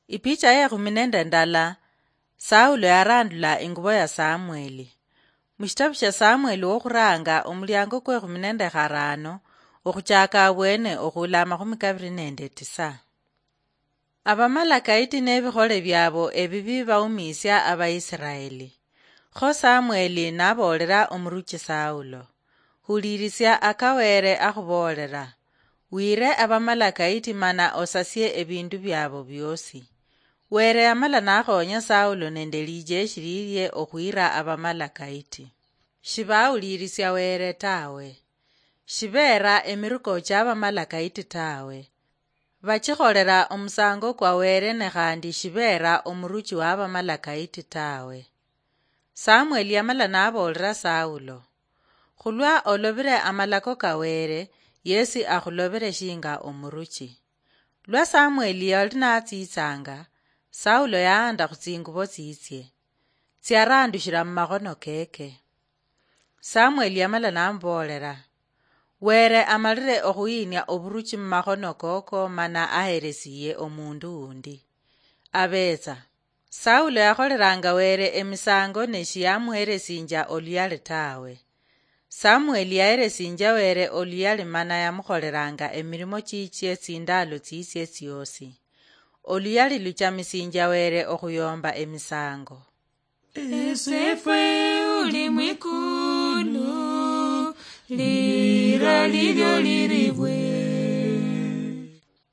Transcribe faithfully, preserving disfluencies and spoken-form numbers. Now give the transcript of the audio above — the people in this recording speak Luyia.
Ipicha yekhumi nende ndala. Saulo yarandula ingubo ya Samueli. Mushitabu sha Samueli wokhuranga, omuliango kwekhumi nende kharano, okhuchaka abwene okhula amakhumi kabiri nende tisa. Abamalakaiti nebikhole biabo ebibi baumiisia Abaisiraeli. Kho Samueli naboolera omuruchi Saulo, "Hulirisia aka Were akhuboolera. Wire Abamalakaiti mana osasie ebindu biabo biosi." Were yamala nakhonya Saulo nende lijeshi lilie okhwira Abamalakaiti. Shibawulirisia Were tawe. Shibeera emiruko ky'Abamalakaiti tawe. Bakikholera omusango kwa Were, ne khandi shibeera omuruchi w'Abamalakaiti tawe. Samueli yamala naboolera Saulo, "Khulwa olobire amalako ka Were, yesi akhulobere shinga omuruchi." Lwa Samueli yali natsitsanga, Saulo yaanda khutsingubo tsitsie, tsiarandushira mumakhono keke. Samueli yamala namuboolera, "Were amalire okhuyinia oburuchi mumakhono koko mana aheresiye omundu undi. Abetsa." Saulo yakholeranga Were emisango ne shiyamuheresinja oluyali tawe. Samueli yaheresinja Were oluyali mana yamukholeranga emirimo chichie tsindalo tsitsie tsiosi. Oluyali luchamisinja Were okhuyomba emisango. Esefwe uli mwikulu, lira lilyo liribwe.